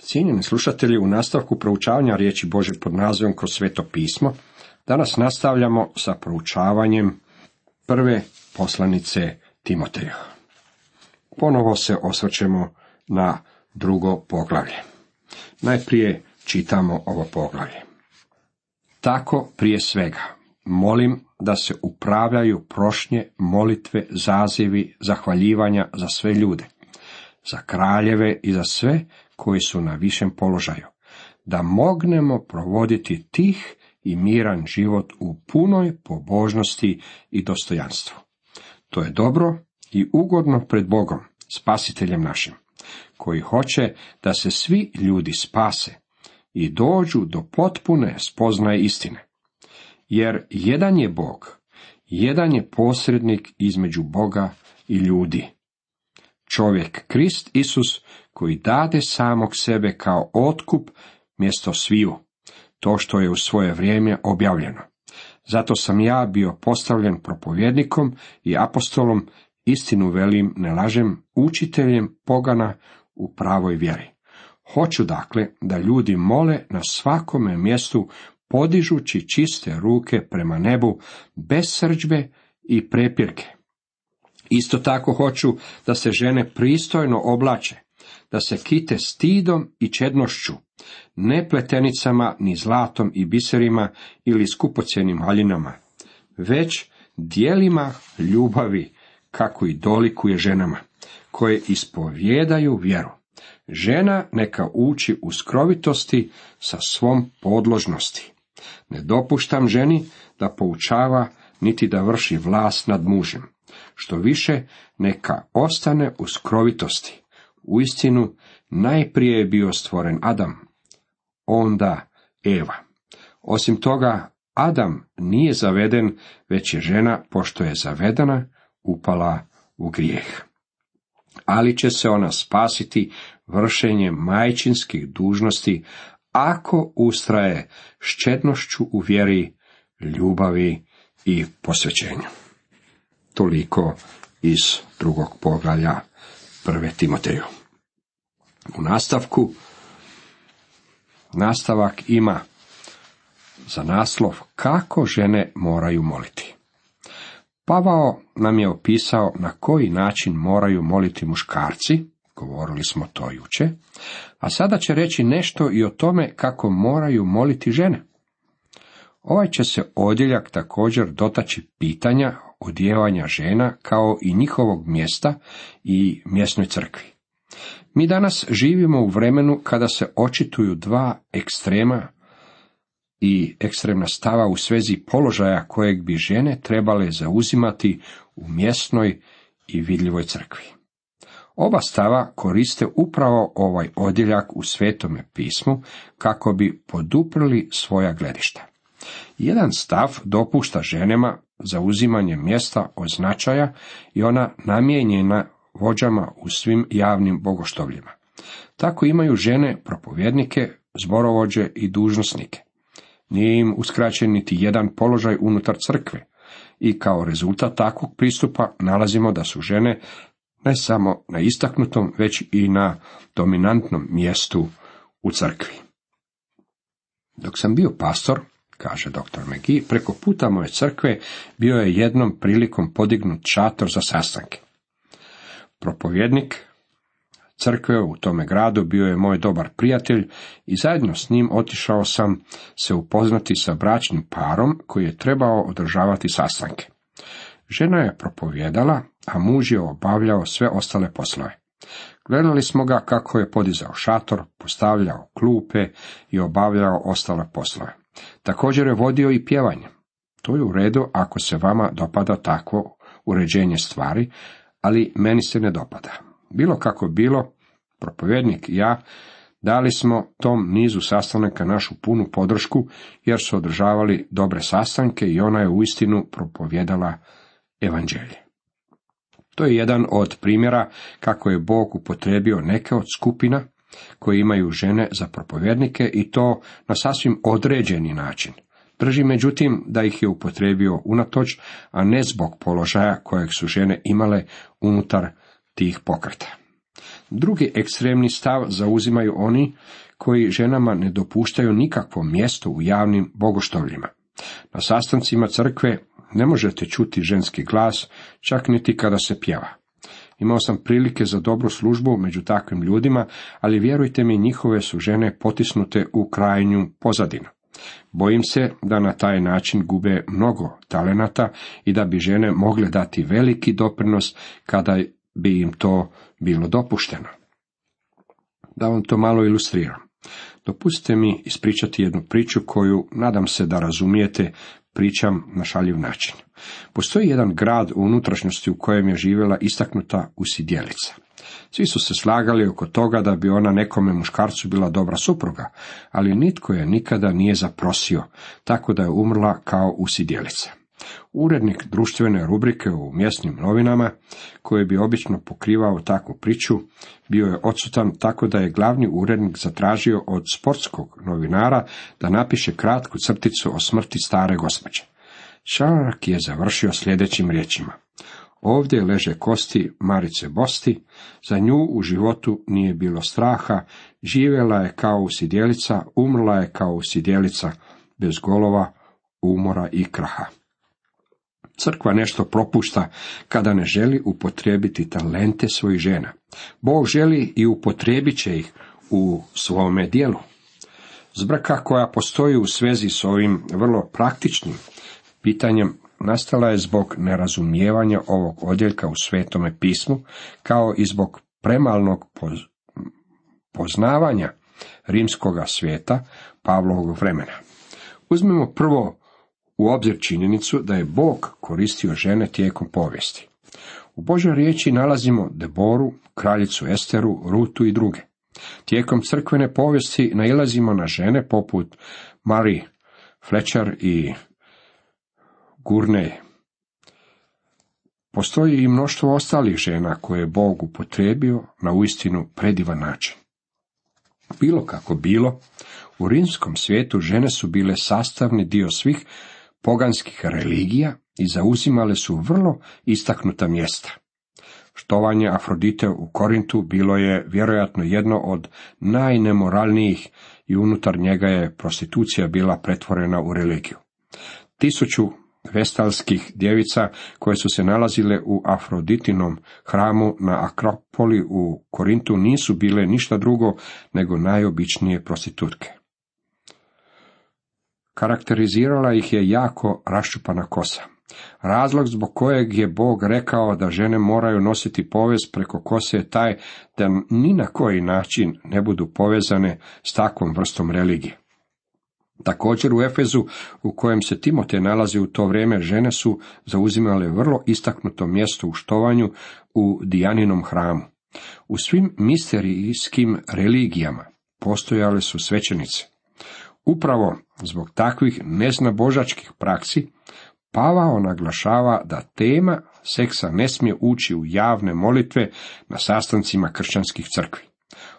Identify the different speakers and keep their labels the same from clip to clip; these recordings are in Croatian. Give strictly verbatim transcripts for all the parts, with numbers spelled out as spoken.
Speaker 1: Cijenjeni slušatelji, u nastavku proučavanja riječi Božje pod nazivom Kroz sveto pismo, danas nastavljamo sa proučavanjem prve poslanice Timoteju. Ponovo se osvrćemo na drugo poglavlje. Najprije čitamo ovo poglavlje. Tako prije svega, molim da se upravljaju prošnje, molitve, zazivi, zahvaljivanja za sve ljude, za kraljeve i za sve koji su na višem položaju, da mognemo provoditi tih i miran život u punoj pobožnosti i dostojanstvu. To je dobro i ugodno pred Bogom, spasiteljem našim, koji hoće da se svi ljudi spase i dođu do potpune spoznaje istine. Jer jedan je Bog, jedan je posrednik između Boga i ljudi, čovjek Krist Isus, koji dade samog sebe kao otkup mjesto sviju, to što je u svoje vrijeme objavljeno. Zato sam ja bio postavljen propovjednikom i apostolom, istinu velim, ne lažem, učiteljem pogana u pravoj vjeri. Hoću dakle da ljudi mole na svakome mjestu, podižući čiste ruke prema nebu, bez srdžbe i prepirke. Isto tako hoću da se žene pristojno oblače, da se kite stidom i čednošću, ne pletenicama ni zlatom i biserima ili skupocjenim haljinama, već djelima ljubavi, kako i dolikuje ženama, koje ispovjedaju vjeru. Žena neka uči u skrovitosti sa svom podložnosti. Ne dopuštam ženi da poučava, niti da vrši vlast nad mužem. Što više, neka ostane u skrovitosti. Uistinu, najprije je bio stvoren Adam, onda Eva. Osim toga, Adam nije zaveden, već je žena, pošto je zavedena, upala u grijeh. Ali će se ona spasiti vršenjem majčinskih dužnosti, ako ustraje s čednošću u vjeri, ljubavi i posvećenju. Toliko iz drugog poglavlja prve Timoteju. U nastavku, nastavak ima za naslov kako žene moraju moliti. Pavao nam je opisao na koji način moraju moliti muškarci, govorili smo to juče, a sada će reći nešto i o tome kako moraju moliti žene. Ovaj će se odjeljak također dotaći pitanja odijevanja žena kao i njihovog mjesta i mjesnoj crkvi. Mi danas živimo u vremenu kada se očituju dva ekstrema i ekstremna stava u svezi položaja kojeg bi žene trebale zauzimati u mjesnoj i vidljivoj crkvi. Oba stava koriste upravo ovaj odjeljak u Svetome pismu kako bi poduprli svoja gledišta. Jedan stav dopušta ženama zauzimanje mjesta od značaja i ona namijenjena vođama u svim javnim bogoštovljima. Tako imaju žene propovjednike, zborovođe i dužnosnike. Nije im uskraćen niti jedan položaj unutar crkve i kao rezultat takvog pristupa nalazimo da su žene ne samo na istaknutom, već i na dominantnom mjestu u crkvi. Dok sam bio pastor, kaže doktor McGee, preko puta moje crkve bio je jednom prilikom podignut šator za sastanke. Propovjednik crkve u tome gradu bio je moj dobar prijatelj i zajedno s njim otišao sam se upoznati sa bračnim parom koji je trebao održavati sastanke. Žena je propovjedala, a muž je obavljao sve ostale poslove. Gledali smo ga kako je podizao šator, postavljao klupe i obavljao ostale poslove. Također je vodio i pjevanje. To je u redu ako se vama dopada takvo uređenje stvari, ali meni se ne dopada. Bilo kako bilo, propovjednik i ja dali smo tom nizu sastanaka našu punu podršku, jer su održavali dobre sastanke i ona je uistinu propovjedala evanđelje. To je jedan od primjera kako je Bog upotrijebio neke od skupina koje imaju žene za propovjednike i to na sasvim određeni način. Drži međutim da ih je upotrijebio unatoč, a ne zbog položaja kojeg su žene imale unutar tih pokreta. Drugi ekstremni stav zauzimaju oni koji ženama ne dopuštaju nikakvo mjesto u javnim bogoštovljima. Na sastancima crkve ne možete čuti ženski glas, čak niti kada se pjeva. Imao sam prilike za dobru službu među takvim ljudima, ali vjerujte mi, njihove su žene potisnute u krajnju pozadinu. Bojim se da na taj način gube mnogo talenata i da bi žene mogle dati veliki doprinos kada bi im to bilo dopušteno. Da vam to malo ilustriram. Dopustite mi ispričati jednu priču koju, nadam se da razumijete, pričam na šaljiv način. Postoji jedan grad u unutrašnjosti u kojem je živjela istaknuta usidjelica. Svi su se slagali oko toga da bi ona nekome muškarcu bila dobra supruga, ali nitko je nikada nije zaprosio, tako da je umrla kao usidjelica. Urednik društvene rubrike u mjesnim novinama, koji bi obično pokrivao takvu priču, bio je odsutan, tako da je glavni urednik zatražio od sportskog novinara da napiše kratku crticu o smrti stare gospođe. Članak je završio sljedećim riječima: ovdje leže kosti Marice Bosti, za nju u životu nije bilo straha, živjela je kao usidjelica, umrla je kao usidjelica, bez golova, umora i kraha. Crkva nešto propušta kada ne želi upotrijebiti talente svojih žena. Bog želi i upotrijebit će ih u svome dijelu. Zbrka koja postoji u svezi s ovim vrlo praktičnim pitanjem nastala je zbog nerazumijevanja ovog odjeljka u Svetome pismu, kao i zbog premalnog poznavanja rimskoga svijeta Pavlovog vremena. Uzmimo prvo u obzir činjenicu da je Bog koristio žene tijekom povijesti. U Božoj riječi nalazimo Deboru, kraljicu Esteru, Rutu i druge. Tijekom crkvene povijesti nailazimo na žene poput Marie Fletcher i Gurney. Postoji i mnoštvo ostalih žena koje je Bog upotrijebio na uistinu predivan način. Bilo kako bilo, u rimskom svijetu žene su bile sastavni dio svih poganskih religija i zauzimale su vrlo istaknuta mjesta. Štovanje Afrodite u Korintu bilo je vjerojatno jedno od najnemoralnijih i unutar njega je prostitucija bila pretvorena u religiju. Tisuću vestalskih djevica koje su se nalazile u Afroditinom hramu na Akropoli u Korintu nisu bile ništa drugo nego najobičnije prostitutke. Karakterizirala ih je jako raščupana kosa. Razlog zbog kojeg je Bog rekao da žene moraju nositi povez preko kose je taj da ni na koji način ne budu povezane s takvom vrstom religije. Također u Efezu, u kojem se Timotej nalazi u to vrijeme, žene su zauzimale vrlo istaknuto mjesto u štovanju u Dijaninom hramu. U svim misterijskim religijama postojale su svećenice. Upravo zbog takvih neznabožačkih praksi Pavao naglašava da tema seksa ne smije ući u javne molitve na sastancima kršćanskih crkvi.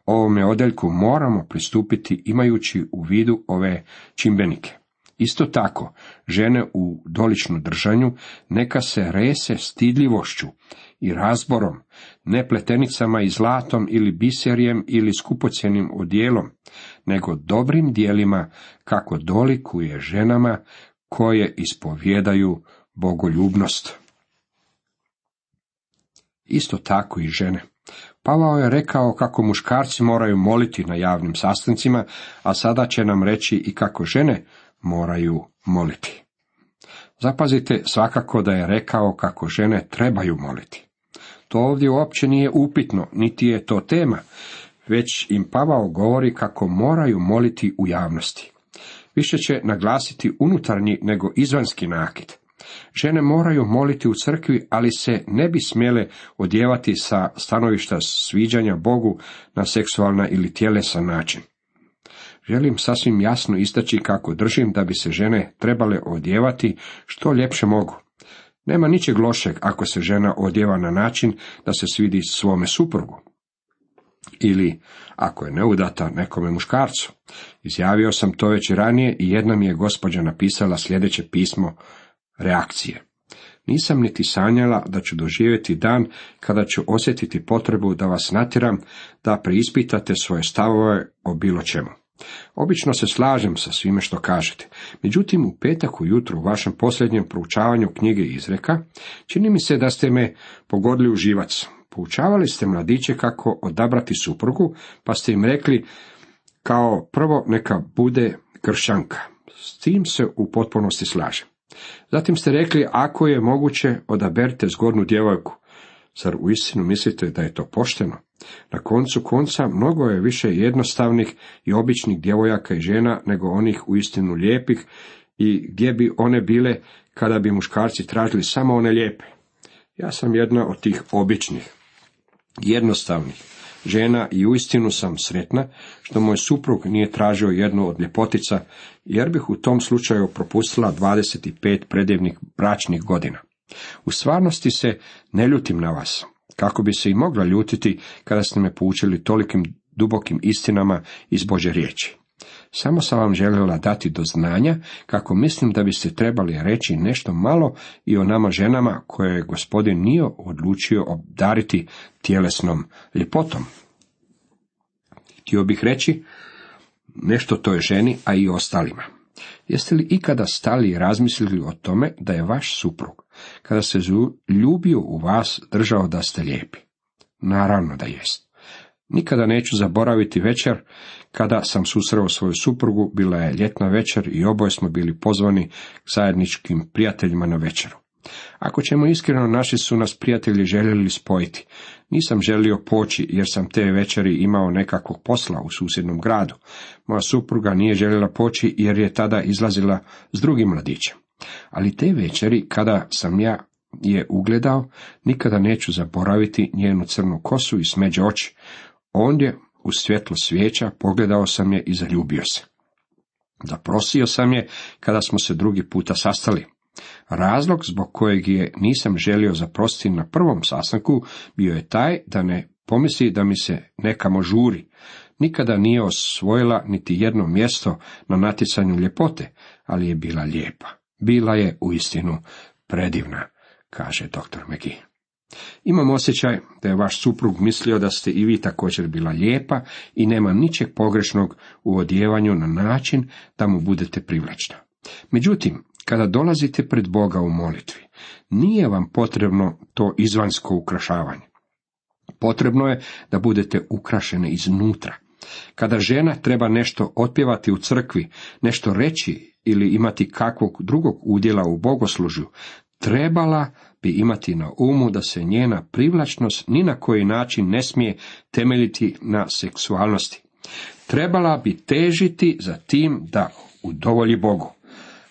Speaker 1: Ovome odjeljku moramo pristupiti imajući u vidu ove čimbenike. Isto tako, žene u doličnu držanju neka se rese stidljivošću i razborom, ne pletenicama i zlatom ili biserijem ili skupocjenim odjelom, nego dobrim dijelima kako dolikuje ženama koje ispovjedaju bogoljubnost. Isto tako i žene. Pavao je rekao kako muškarci moraju moliti na javnim sastancima, a sada će nam reći i kako žene moraju moliti. Zapazite svakako da je rekao kako žene trebaju moliti. To ovdje uopće nije upitno, niti je to tema, već im Pavao govori kako moraju moliti u javnosti. Više će naglasiti unutarnji nego izvanjski nakit. Žene moraju moliti u crkvi, ali se ne bi smjele odjevati sa stanovišta sviđanja Bogu na seksualna ili tjelesan način. Želim sasvim jasno istaći kako držim da bi se žene trebale odjevati što ljepše mogu. Nema ničeg lošeg ako se žena odjeva na način da se svidi svome suprugu. Ili, ako je neudata, nekome muškarcu. Izjavio sam to već ranije i jedna mi je gospođa napisala sljedeće pismo reakcije. Nisam niti sanjala da ću doživjeti dan kada ću osjetiti potrebu da vas natjeram da preispitate svoje stavove o bilo čemu. Obično se slažem sa svime što kažete, međutim u petak ujutro u vašem posljednjem proučavanju knjige Izreka čini mi se da ste me pogodili u živac. Poučavali ste mladiće kako odabrati suprugu, pa ste im rekli kao prvo neka bude kršćanka. S tim se u potpunosti slažem. Zatim ste rekli, ako je moguće, odaberite zgodnu djevojku. Zar uistinu mislite da je to pošteno? Na koncu konca mnogo je više jednostavnih i običnih djevojaka i žena nego onih uistinu lijepih, i gdje bi one bile kada bi muškarci tražili samo one lijepe. Ja sam jedna od tih običnih, jednostavnih žena i uistinu sam sretna što moj suprug nije tražio jednu od ljepotica, jer bih u tom slučaju propustila dvadeset pet predivnih bračnih godina. U stvarnosti se ne ljutim na vas, kako bi se i mogla ljutiti kada ste me poučili tolikim dubokim istinama iz Božje riječi. Samo sam vam željela dati do znanja kako mislim da biste trebali reći nešto malo i o nama ženama koje je Gospodin nije odlučio obdariti tjelesnom ljepotom. Htio bih reći nešto toj ženi, a i ostalima. Jeste li ikada stali i razmislili o tome da je vaš suprug, kada se ljubio u vas, držao da ste lijepi? Naravno da jest. Nikada neću zaboraviti večer kada sam susreo svoju suprugu. Bila je ljetna večer i oboje smo bili pozvani k zajedničkim prijateljima na večeru. Ako ćemo iskreno, naši su nas prijatelji željeli spojiti. Nisam želio poći jer sam te večeri imao nekakvog posla u susjednom gradu. Moja supruga nije željela poći jer je tada izlazila s drugim mladićem. Ali te večeri, kada sam ja je ugledao, nikada neću zaboraviti njenu crnu kosu i smeđe oči. Ondje, u svjetlo svijeća, pogledao sam je i zaljubio se. Zaprosio sam je kada smo se drugi puta sastali. Razlog zbog kojeg je nisam želio zaprositi na prvom sastanku bio je taj da ne pomisli da mi se nekamo žuri. Nikada nije osvojila niti jedno mjesto na natjecanju ljepote, ali je bila lijepa. Bila je uistinu predivna, kaže doktor McGee. Imam osjećaj da je vaš suprug mislio da ste i vi također bila lijepa i nema ničeg pogrešnog u odjevanju na način da mu budete privlačna. Međutim, kada dolazite pred Boga u molitvi, nije vam potrebno to izvanjsko ukrašavanje. Potrebno je da budete ukrašene iznutra. Kada žena treba nešto otpjevati u crkvi, nešto reći ili imati kakvog drugog udjela u bogoslužju, trebala bi imati na umu da se njena privlačnost ni na koji način ne smije temeljiti na seksualnosti. Trebala bi težiti za tim da udovolji Bogu,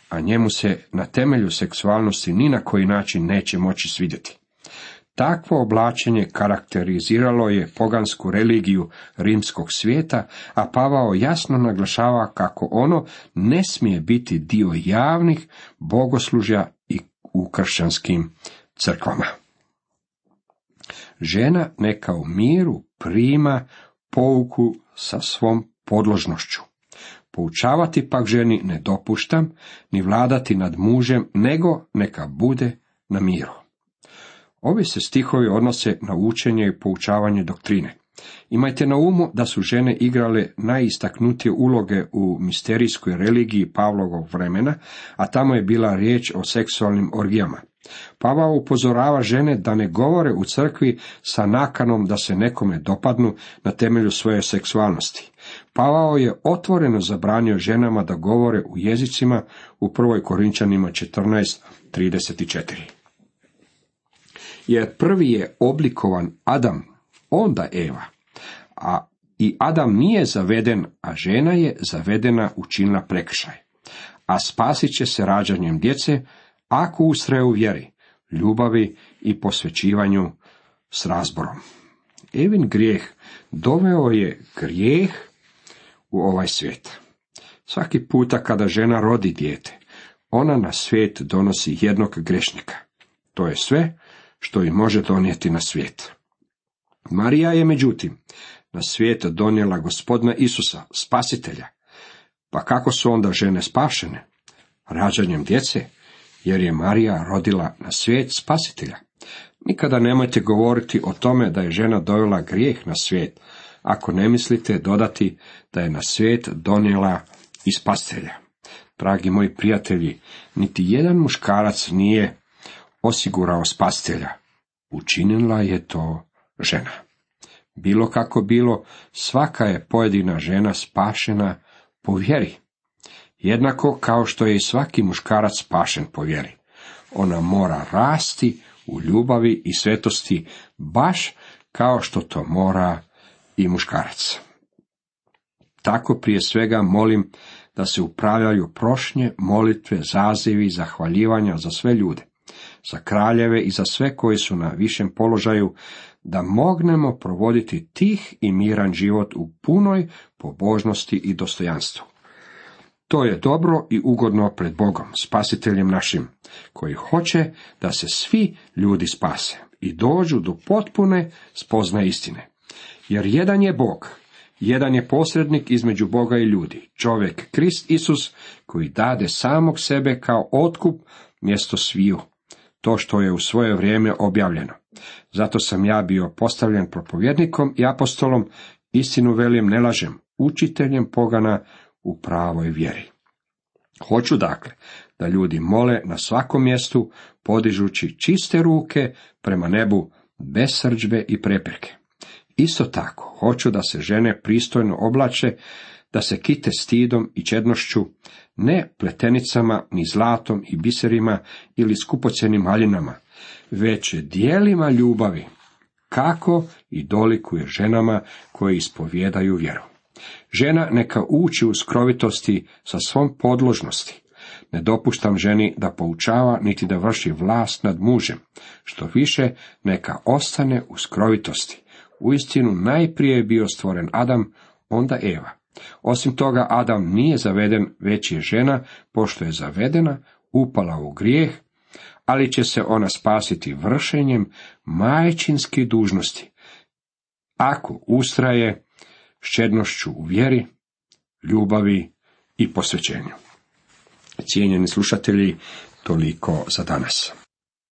Speaker 1: a njemu se na temelju seksualnosti ni na koji način neće moći svidjeti. Takvo oblačenje karakteriziralo je pogansku religiju rimskog svijeta, a Pavao jasno naglašava kako ono ne smije biti dio javnih bogoslužja i u kršćanskim crkvama. Žena neka u miru prima pouku sa svom podložnošću. Poučavati pak ženi ne dopuštam, ni vladati nad mužem, nego neka bude na miru. Ovi se stihovi odnose na učenje i poučavanje doktrine. Imajte na umu da su žene igrale najistaknutije uloge u misterijskoj religiji Pavlovog vremena, a tamo je bila riječ o seksualnim orgijama. Pavao upozorava žene da ne govore u crkvi sa nakanom da se nekome dopadnu na temelju svoje seksualnosti. Pavao je otvoreno zabranio ženama da govore u jezicima u prvoj Korinčanima četrnaest trideset četiri. Jer prvi je oblikovan Adam, onda Eva, a i Adam nije zaveden, a žena je zavedena učinila prekršaj. A spasit će se rađanjem djece, ako ustraje u vjeri, ljubavi i posvećivanju s razborom. Evin grijeh doveo je grijeh u ovaj svijet. Svaki puta kada žena rodi dijete, ona na svijet donosi jednog grešnika. To je sve što i može donijeti na svijet. Marija je međutim na svijet donijela Gospodina Isusa, spasitelja. Pa kako su onda žene spašene? Rađanjem djece, jer je Marija rodila na svijet spasitelja. Nikada nemojte govoriti o tome da je žena dovela grijeh na svijet, ako ne mislite dodati da je na svijet donijela i spasitelja. Dragi moji prijatelji, niti jedan muškarac nije osigurao spasitelja. Učinila je to žena. Bilo kako bilo, svaka je pojedina žena spašena po vjeri. Jednako kao što je i svaki muškarac spašen po vjeri. Ona mora rasti u ljubavi i svetosti, baš kao što to mora i muškarac. Tako prije svega molim da se upravljaju prošnje, molitve, zazivi, zahvaljivanja za sve ljude, za kraljeve i za sve koji su na višem položaju, da mognemo provoditi tih i miran život u punoj pobožnosti i dostojanstvu. To je dobro i ugodno pred Bogom, spasiteljem našim, koji hoće da se svi ljudi spase i dođu do potpune spoznaje istine. Jer jedan je Bog, jedan je posrednik između Boga i ljudi, čovjek Krist Isus, koji dade samog sebe kao otkup mjesto sviju. To što je u svoje vrijeme objavljeno. Zato sam ja bio postavljen propovjednikom i apostolom, istinu velim, ne lažem, učiteljem pogana u pravoj vjeri. Hoću dakle da ljudi mole na svakom mjestu, podižući čiste ruke prema nebu, bez srdžbe i prepreke. Isto tako, hoću da se žene pristojno oblače, da se kite stidom i čednošću, ne pletenicama, ni zlatom i biserima ili skupocjenim haljinama, već dijelima ljubavi, kako i dolikuje ženama koje ispovijedaju vjeru. Žena neka uči u skrovitosti sa svom podložnosti. Ne dopuštam ženi da poučava, niti da vrši vlast nad mužem. Što više, neka ostane u skrovitosti. Uistinu najprije je bio stvoren Adam, onda Eva. Osim toga, Adam nije zaveden, već je žena, pošto je zavedena, upala u grijeh, ali će se ona spasiti vršenjem majčinske dužnosti, ako ustraje s čednošću u vjeri, ljubavi i posvećenju. Cijenjeni slušatelji, toliko za danas.